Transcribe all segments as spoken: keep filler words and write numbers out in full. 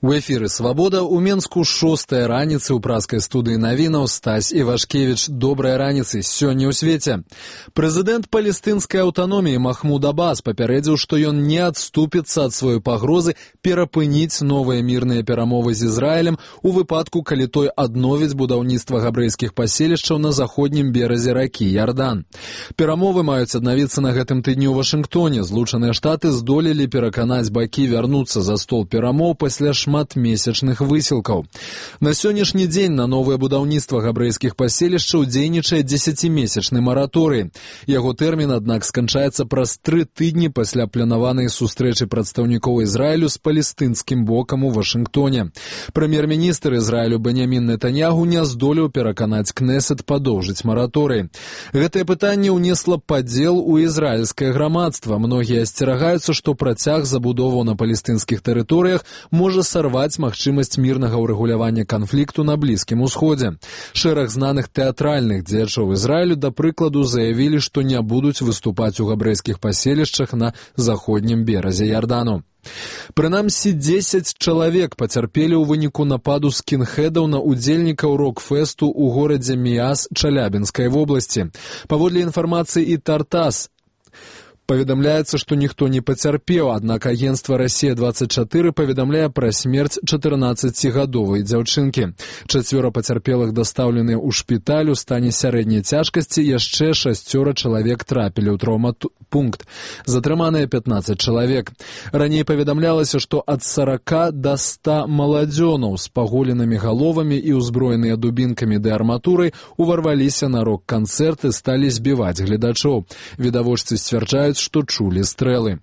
У эфіры «Свабода» ў Менску шостая раніцы ў праскай студыі навінаў Стась Івашкевіч. Добрай раніцы сёння ў свеце. Прэзідэнт палестынскай аўтаноміі Махмуд Аббас папярэдзіў, што ён не адступіцца ад сваёй пагрозы перапыніць новыя мірныя перамовы з Ізраілем у выпадку, калі той адновіць будаўніцтва габрэйскіх паселішчаў на заходнім беразе ракі Ярдан. Перамовы маюць аднавіцца на гэтым тыдні ў Вашынгтоне. Злучаныя Штаты здолелі пераканаць бакі вярнуцца за стол перамоў пасля шматмесячных высілкаў. На сённяшні дзень на новае будаўніцтва габрэйскіх паселішчаў дзейнічае дзесяцімесячны мараторый. Яго тэрмін, аднак, сканчаецца праз тры тыдні пасля планаванай сустрэчы прадстаўнікоў Ізраілю з палестынскім бокам у Вашынгтоне. Прэм'ер-міністр Ізраілю Беньямін Нетаньягу не здолеў пераканаць Кнесет падоўжыць мараторый. Гэтае пытанне ўнесла падзел у ізраільскае грамадства. Многія асцерагаюцца, што працяг забудоваў на палестынскіх тэрыторыях можа сарваць магчымасць мірнага ўрэгулявання канфлікту на Блізкім Усходзе. Шэраг знаных тэатральных дзеячоў Ізраілю, да прыкладу, заявілі, што не будуць выступаць у габрэйскіх паселішчах на заходнім беразе Ярдану. Прынамсі дзесяць чалавек пацярпелі ў выніку нападу скінхедаў на удзельнікаў рок-фэсту ў горадзе Міяс Чалябінскай вобласці. Паводле інфармацыі і Тартас, паведамляецца, што ніхто не пацярпеў, аднак агенцтва «Расія двадцать четыре» паведамляе пра смерць чатырнаццацігадовай дзяўчынкі. Чацвёра пацярпелых дастаўленыя ў шпіталь у стане сярэдняй цяжкасці, яшчэ шасцёра чалавек трапілі ў траўмапункт. Затрыманыя пятнаццаць чалавек. Раней паведамлялася, што ад сарака да ста маладзёнаў з паголенымі галовамі і ўзброеныя дубінкамі ды арматурай уварваліся на рок-канцэрт і сталі збіваць гледачоў. Відавочцы сцвярджаюць, што чулі стрэлы.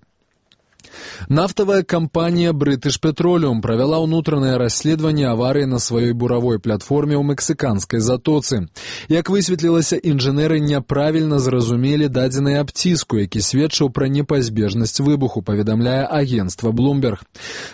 Нафтавая кампанія British Petroleum правяла ўнутранае расследаванне аварыі на сваёй буравой платформе ў мексіканскай затоцы. Як высветлілася, інжынеры няправільна зразумелі дадзены аб ціску, які сведчыў пра непазбежнасць выбуху, паведамляе агенцтва Bloomberg.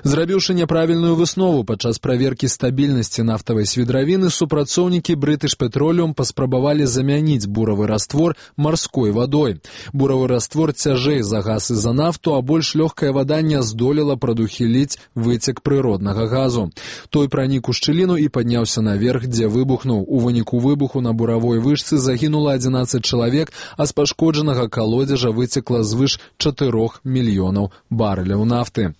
Зрабіўшы няправільную выснову падчас праверкі стабільнасці нафтавай свідравіны, супрацоўнікі British Petroleum паспрабавалі замяніць буравы раствор марской вадой. Буравы раствор цяжэй за газ і за нафту, а больш лёгкая вада не здолела прадухіліць выцек прыроднага газу. Той пранік у шчыліну і падняўся наверх, дзе выбухнуў. У выніку выбуху на буравой вышцы загінула адзінаццаць чалавек, а з пашкоджанага калодзежа выцекла звыш чатырох мільёнаў барэляў нафты.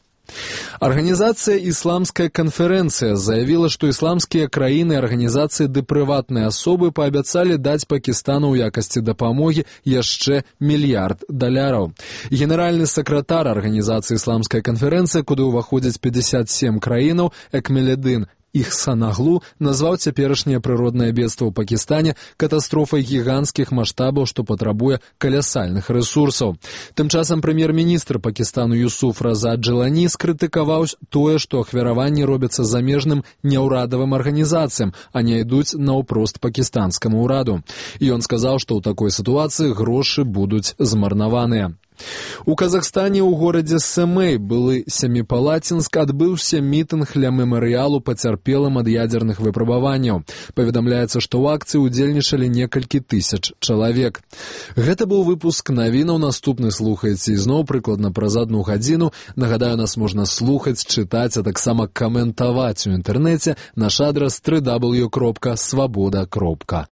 Арганізацыя «Ісламская канферэнцыя» заявіла, што ісламскія краіны, арганізацыі ды прыватныя асобы паабяцалі даць Пакістану ў якасці дапамогі яшчэ мільярд даляраў. Генеральны сакратар арганізацыі «Ісламская канферэнцыя», куды ўваходзяць пятьдесят семь краінаў, Экмеледдин Ихсанаглу, назваў цяперашняе прыроднае бедства ў Пакістане катастрофай гіганцкіх маштабаў, што патрабуе калясальных рэсурсаў. Тым часам прэм'ер-міністр Пакістану Юсуф Раза Джелані скрытыкаваў тое, што ахвяраванні робяцца замежным няўрадавым арганізацыям, а не ідуць наўпрост пакістанскаму ўраду. І ён сказаў, што ў такой сітуацыі грошы будуць змарнаваныя. У Казахстане ў горадзе Сэмэй, былы Семіпалацінск, адбыўся мітынг ля мемарыялу пацярпелым ад ядзерных выпрабаванняў. Паведамляецца, што ў акцыі ўдзельнічалі некалькі тысяч чалавек. Гэта быў выпуск навінаў. Наступны слухаеце ізноў прыкладна праз адну гадзіну. Нагадаю, нас можна слухаць, чытаць, а таксама каментаваць у інтэрнэце. Наш адрас дабл ю дабл ю дабл ю кропка свабода кропка